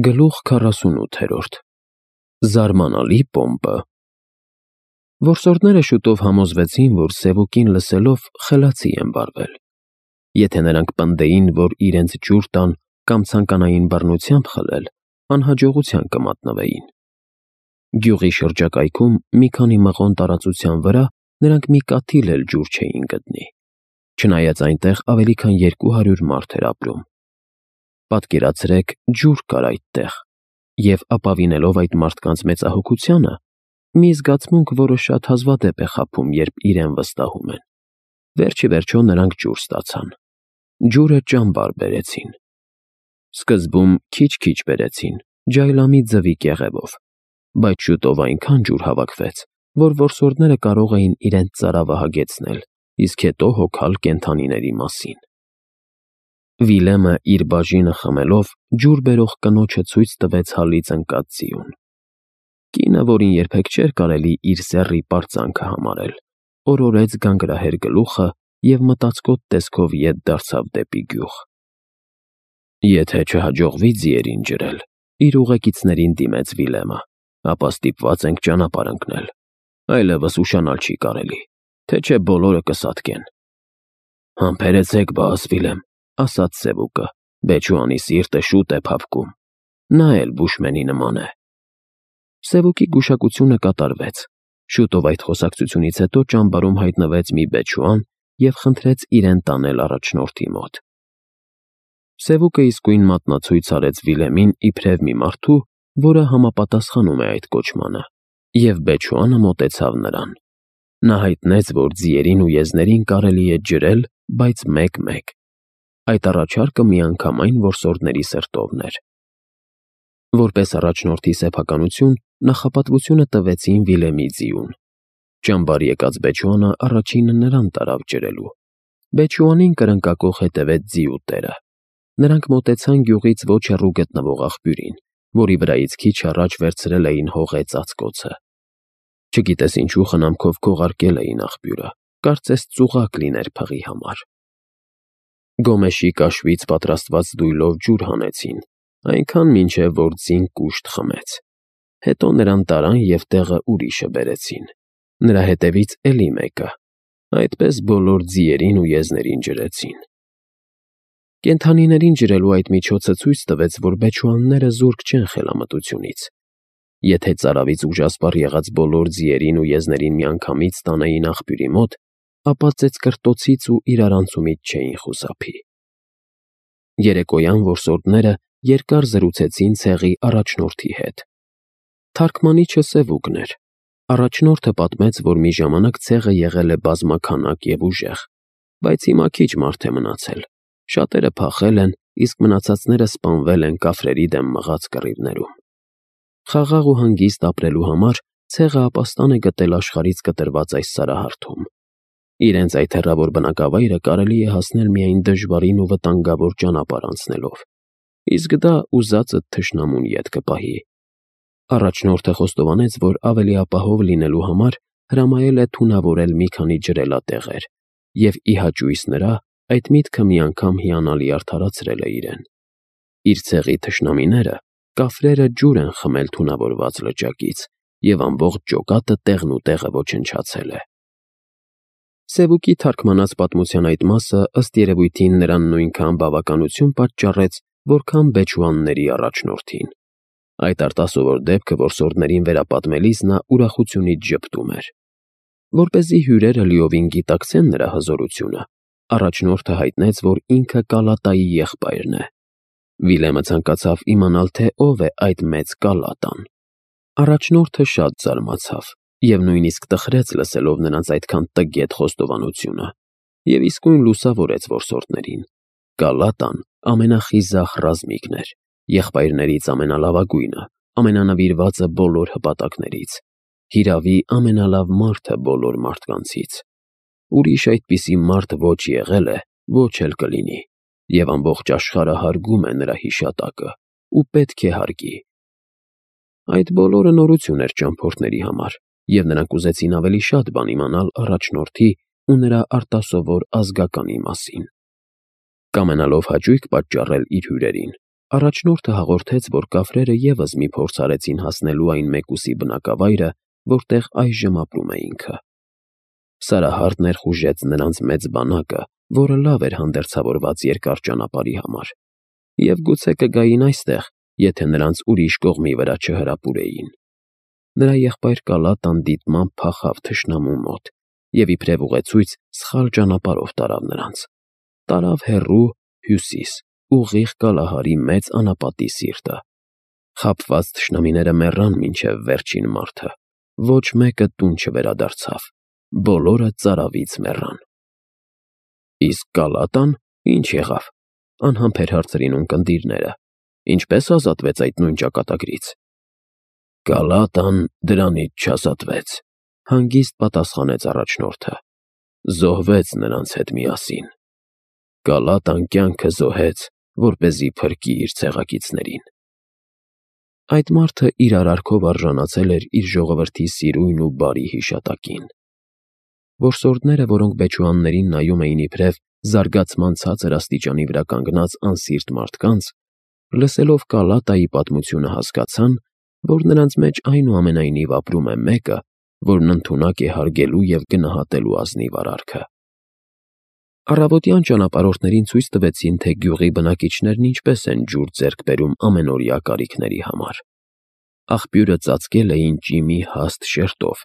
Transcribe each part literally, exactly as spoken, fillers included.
Գլուխ քառասունութ Զարմանալի պոմպը Որսորդները շուտով համոզվեցին, որ Սևուկին լսելով խելացի են վարվել։ Եթե նրանք պնդեին, որ իրենց ջուր տան կամ ցանկանային բռնությամբ խլել, անհաջողության կմատնվեին։ Գյուղի շրջակայքում մի քանի մղոն տարածության վրա նրանք մի կաթիլ էլ ջուր չէին գտնի, չնայած այնտեղ ավելի քան երկու հարյուր մարդ էր ապրում։ Պատկերացրեք, ջուր կար այդտեղ, և ապավինելով այդ մարդկանց մեծահոգությանը, մի զգացմունք, որը շատ հազվադեպ է խաբում, երբ իրեն վստահում են։ Վերջ ի վերջո նրանք ջուր ստացան։ Ջուրը ճամբար բերեցին։ Սկզբում քիչ-քիչ բերեցին, ջայլամի ձվի կեղևով, բայց շուտով այնքան ջուր հավաքվեց, որ որսորդները կարող էին իրենց ծարավը հագեցնել, իսկ հետո հոգալ կենդանիների մասին։ Վիլեմը իր բաժինը խմելով ջուր բերող կնոջը ցույց տվեց հալից ընկած ձիուն։ Կինը, որին երբեք չէր կարելի իր սեռի պարծանքը համարել, օրորեց գանգրահեր գլուխը և մտածկոտ տեսքով ետ դարձավ դեպի գյուղ։ Եթե չհաջողվի ձիերին ջրել, իր ուղեկիցներին դիմեց Վիլեմը, ապա ստիպված ենք ճանապարհ ընկնել, այլևս ուշանալ չի կարելի, թե չէ բոլորը կսատկեն։ Համբերեցեք, բաս Վիլեմ, ասաց Սևուկը, Բեչուանի սիրտը շուտ է փափկում, նա էլ բուշմենի նման է։ Սևուկի գուշակությունը կատարվեց։ Շուտով այդ խոսակցությունից հետո ճամբարում հայտնվեց մի Բեչուան և խնդրեց իրեն տանել առաջնորդի մոտ։ Սևուկը իսկույն մատնացույց արեց Վիլեմին իբրև մի մարդու, որը համապատասխանում է այդ կոչմանը, և Բեչուանը մոտեցավ նրան։ Նա հայտնեց, որ ձիերին ու եզներին կարելի է ջրել, բայց մեկ֊մեկ։ Այդ առաջարկը միանգամայն որսորդների սրտովն էր։ Որպես առաջնորդի սեփականություն նախապատվությունը տվեցին Վիլեմի ձիուն։ Ճամբար եկած Բեչուանը առաջինը նրան տարավ ջրելու։ Բեչուանին կրնկակոխ հետևեց ձիու տերը։ Նրանք մոտեցան գյուղից ոչ հեռու գտնվող աղբյուրին, որի վրայից քիչ առաջ վերցրել էին հողե ծածկոցը։ Չգիտես ինչու խնամքով քողարկել էին աղբյուրը, կարծես ծուղակ լիներ փղի համար։ Գոմեշի կաշվից պատրաստված դույլով ջուր հանեցին, այնքան մինչև որ ձին կուշտ խմեց։ Հետո նրան տարան և տեղը ուրիշը բերեցին։ Նրա հետևից էլի մեկը։ Այդպես բոլոր ձիերին ու եզներին ջրեցին։ Կենդանիներին ջրելու այդ միջոցը ցույց տվեց, որ Բեչուանները զուրկ չեն խելամտությունից։ Եթե ծարավից ուժասպառ եղած բոլոր ձիերին ու եզներին միանգամից տանեին աղբյուրի մոտ, ապա ծեծկռտոցից ու իրարանցումից չէին խուսափի։ Երեկոյան որսորդները երկար զրուցեցին ցեղի առաջնորդի հետ։ Թարգմանիչը Սևուկն էր։ Առաջնորդը պատմեց, որ մի ժամանակ ցեղը եղել է բազմաքանակ և ուժեղ, բայց հիմա քիչ մարդ է մնացել։ Շատերը փախել են, իսկ մնացածները սպանվել են կափրերի դեմ մղած կռիվներում։ Խաղաղ ու հանգիստ ապրելու համար ցեղը ապաստան է գտել աշխարհից կտրված այս սարահարթում։ Իրենց այդ հեռավոր բնակավայրը կարելի է հասնել միայն դժվարին ու վտանգավոր ճանապարհ անցնելով, իսկ դա ուզածդ թշնամուն ետ կպահի։ Առաջնորդը խոստովանեց, որ ավելի ապահով լինելու համար հրամայել է թունավորել մի քանի ջրելատեղեր, և ի հաճույս նրա այդ միտքը մի անգամ հիանալի արդարացրել է իրեն։ Իր ցեղի թշնամիները կափրերը ջուր են խմել թունավորված լճակից, և ամբողջ ջոկատը տեղնուտեղը ոչնչացել է։ Սևուկի թարգմանած պատմության այդ մասը ըստ երևույթին նրան նույնքան բավականություն պատճառեց, որքան Բեչուանների առաջնորդին։ Այդ արտասովոր դեպքը որսորդներին վերապատմելիս նա ուրախությունից ժպտում էր։ Որպեսզի հյուրերը լիովին գիտակցեն նրա հզորությունը, առաջնորդը հայտնեց, որ ինքը Կալատայի եղբայրն է։ Վիլեմը ցանկացավ իմանալ, թե ով է այդ մեծ Կալատան։ Առաջնորդը շատ զարմացավ և նույնիսկ տխրեց լսելով նրանց այդքան տգետ խոստովանությունը, և իսկույն լուսավորեց որսորդներին։ Կալատան ամենախիզախ ռազմիկն էր, եղբայրներից ամենալավագույնը, ամենանվիրվածը բոլոր հպատակներից, հիրավի ամենալավ մարդը բոլոր մարդկանցից։ Ուրիշ այդպիսի մարդ ոչ եղել է, ոչ էլ կլինի, և ամբողջ աշխարհը հարգում է նրա հիշատակը ու պետք է հարգի։ Այդ բոլորը նորություն էր ճամփորդների համար, և նրանք ուզեցին ավելի շատ բան իմանալ առաջնորդի ու նրա արտասովոր ազգականի մասին։ Կամենալով հաճույք պատճառել իր հյուրերին, Առաջնորդը հաղորդեց, որ կափրերը ևս մի փորձ արեցին հասնելու այն մեկուսի բնակավայրը, որտեղ այժմ ապրում է ինքը։ Սարահարթ ներխուժեց նրանց մեծ բանակը, որը լավ էր հանդերձավորված երկար ճանապարհի համար, և գուցե կգային այստեղ, եթե նրանց ուրիշ կողմի վրա չհրապուրեին։ Նրա եղբայր Կալատան դիտմամբ փախավ թշնամու մոտ և իբրև ուղեցույց սխալ ճանապարհով տարավ նրանց։ Տարավ հեռու հյուսիս, ուղիղ Կալահարի մեծ անապատի սիրտը։ Խաբված թշնամիները մեռան մինչև վերջին մարդը, ոչ մեկը տուն չվերադարձավ, բոլորը ծարավից մեռան։ Իսկ Կալատան ի՞նչ եղավ,- անհամբեր հարցրին ունկնդիրները,- ինչպե՞ս ազատվեց այդ նույն ճակատագրից։ Կալատան դրանից չազատվեց,- հանգիստ պատասխանեց առաջնորդը,- զոհվեց նրանց հետ միասին։ Կալատան կյանքը զոհեց, որպեսզի փրկի իր ցեղակիցներին։ Այդ մարդը իր արարքով արժանացել էր իր ժողովրդի սիրույն ու բարի հիշատակին։ Որսորդները, որոնք բեչուաններին նայում էին իբրև զարգացման ցածր աստիճանի վրա կանգնած անսիրտ մարդկանց, լսելով Կալատայի պատմությունը հասկացան, որ նրանց մեջ այնուամենայնիվ ապրում է մեկը, որն ընդունակ է հարգելու և գնահատելու ազնիվ արարքը։ Առավոտյան ճանապարհորդներին ցույց տվեցին, թե գյուղի բնակիչներն ինչպես են ջուր ձեռք բերում ամենօրյա կարիքների համար։ Աղբյուրը ծածկել էին ճիմի հաստ շերտով,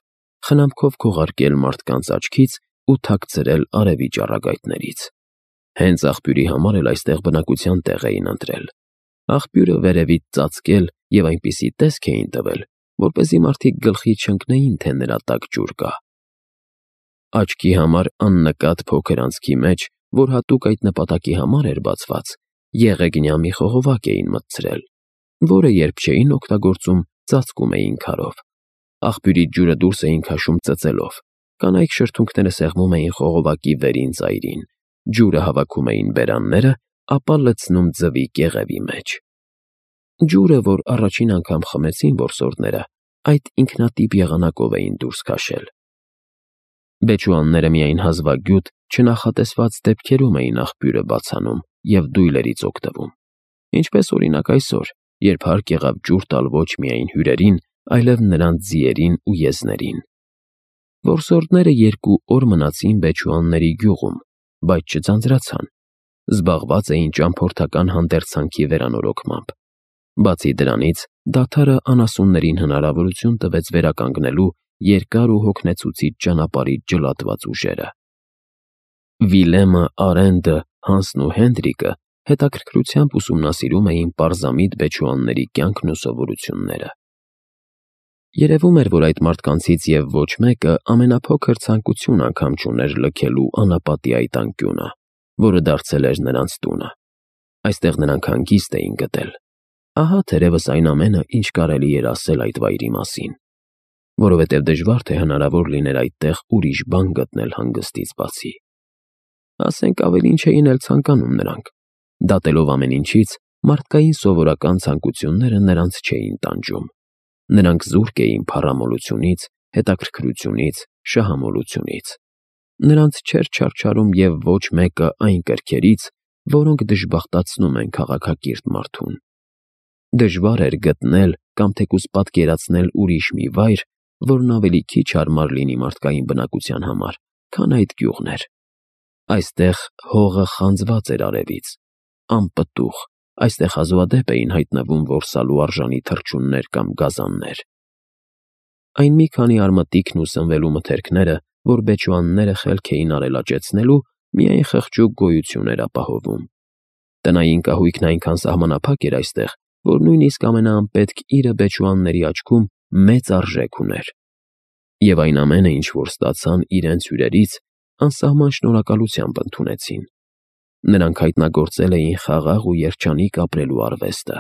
խնամքով քողարկել մարդկանց աչքից ու թաքցրել արևի ճառագայթներից։ Հենց աղբյուրի համար էլ այստեղ բնակության տեղ էին ընտրել։ Աղբյուրը վերևից ծածկել և այնպիսի տեսք էին տվել, որպեսզի մարդիկ գլխի չընկնեին, թե նրա տակ ջուր կա։ Աչքի համար աննկատ փոքր անցքի մեջ, որ հատուկ այդ նպատակի համար էր բացված, եղեգնյա մի խողովակ էին մտցրել, որը երբ չէին օգտագործում, ծածկում էին քարով։ Աղբյուրից ջուրը դուրս էին քաշում ծծելով, կանայք շրթունքները սեղմում էին խողովակի վերին ծայրին, ջուրը հավաքում էին բերանները, ապա լցնում ձվի կեղևի մեջ։ Ջուրը, որ առաջին անգամ խմեցին որսորդները, այդ ինքնատիպ եղանակով էին դուրս քաշել։ Բեչուանները միայն հազվագյուտ, չնախատեսված դեպքերում էին աղբյուրը բացանում և դույլերից օգտվում, ինչպես օրինակ այսօր, երբ հարկ եղավ ջուր տալ ոչ միայն հյուրերին, այլև նրանց ձիերին ու եզներին։ Որսորդները երկու օր մնացին բեչուանների գյուղում, բայց չձանձրացան, զբաղված էին ճամփորդական հանդերձանքի վերանորոգմամբ։ Բացի դրանից, դադարը անասուններին հնարավորություն տվեց վերականգնելու երկար ու հոգնեցուցիչ ճանապարհից ջլատված ուժերը։ Վիլեմը, Արենդը, Հանսն ու Հենրիկը հետաքրքրությամբ ուսումնասիրում էին պարզամիտ բեչուանների կյանքն ու սովորությունները։ Երևում էր, որ այդ մարդկանցից և ոչ մեկը ամենափոքր ցանկություն անգամ չուներ լքելու անապատի այդ անկյունը, որը դարձել էր նրանց տունը։ Այստեղ նրանք հանգիստ էին գտել։ Ահա թերևս այն ամենը, ինչ կարելի էր ասել այդ վայրի մասին, որովհետև դժվար թե հնարավոր լիներ այդտեղ ուրիշ բան գտնել հանգստից բացի։ Ասենք ավելին չէին էլ ցանկանում նրանք։ Դատելով ամեն ինչից, մարդկային սովորական ցանկությունները նրանց չէին տանջում։ Նրանք զուրկ էին փառամոլությունից, հետաքրքրությունից, շահամոլությունից։ Նրանց չէր չարչարում և ոչ մեկը այն կրքերից, որոնք դժբախտացնում են քաղաքակիրթ մարդուն։ Դժվար էր գտնել կամ թեկուզ պատկերացնել ուրիշ մի վայր, որն ավելի քիչ հարմար լինի մարդկային բնակության համար, քան այդ գյուղն էր։ Այստեղ հողը խանձված էր արևից, անպտուղ, այստեղ հազվադեպ էին հայտնվում որսալու արժանի թռչուններ կամ գազաններ։ Այն մի քանի արմատիքն ու սնվելու մթերքները, որ բեչուանները խելք էին արել աճեցնելու, միայն խղճուկ գոյություն էր ապահովում։ Տնային կահույքն այնքան սահմանափակ էր այստեղ, որ նույնիսկ ամենաանպետք իրը բեչուանների աչքում մեծ արժեք ուներ։ Եվ այն ամենը, ինչ որ ստացան իրենց հյուրերից, անսահման շնորհակալությամբ ընդունեցին։ Նրանք հայտնագործել էին խաղաղ ու երջանիկ ապրելու արվեստը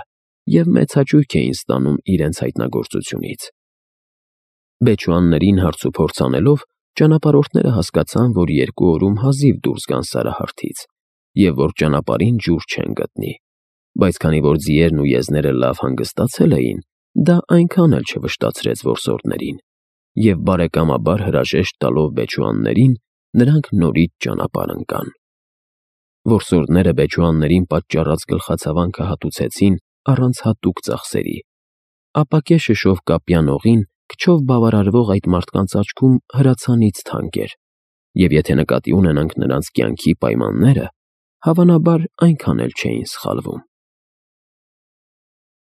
և մեծ հաճույք էին ստանում իրենց հայտնագործությունից։ Բեչուաններին հարցուփորձ անելով, ճանապարհորդները հասկացան, որ երկու օրում հազիվ դուրս գան Սարահարթից և որ ճանապարհին ջուր չեն գտնի, բայց քանի որ ձիերն ու եզները լավ հանգստացել էին, դա այնքան էլ չվշտացրեց որսորդներին, և բարեկամաբար հրաժեշտ տալով բեչուաններին, նրանք նորից ճանապարհ ընկան։ Որսորդները բեչուաններին պատճառած գլխացավանքը հատուցեցին առանց հատուկ ծախսերի, ապա կեշը շովկապյան օղին քչով բավարարվող այդ մարդկանց աչքում հրացանից թանկ էր, և եթե նկատի ունենանք նրանց կյանքի պայմանները, հավանաբար այնքան էլ չէին սխալվում։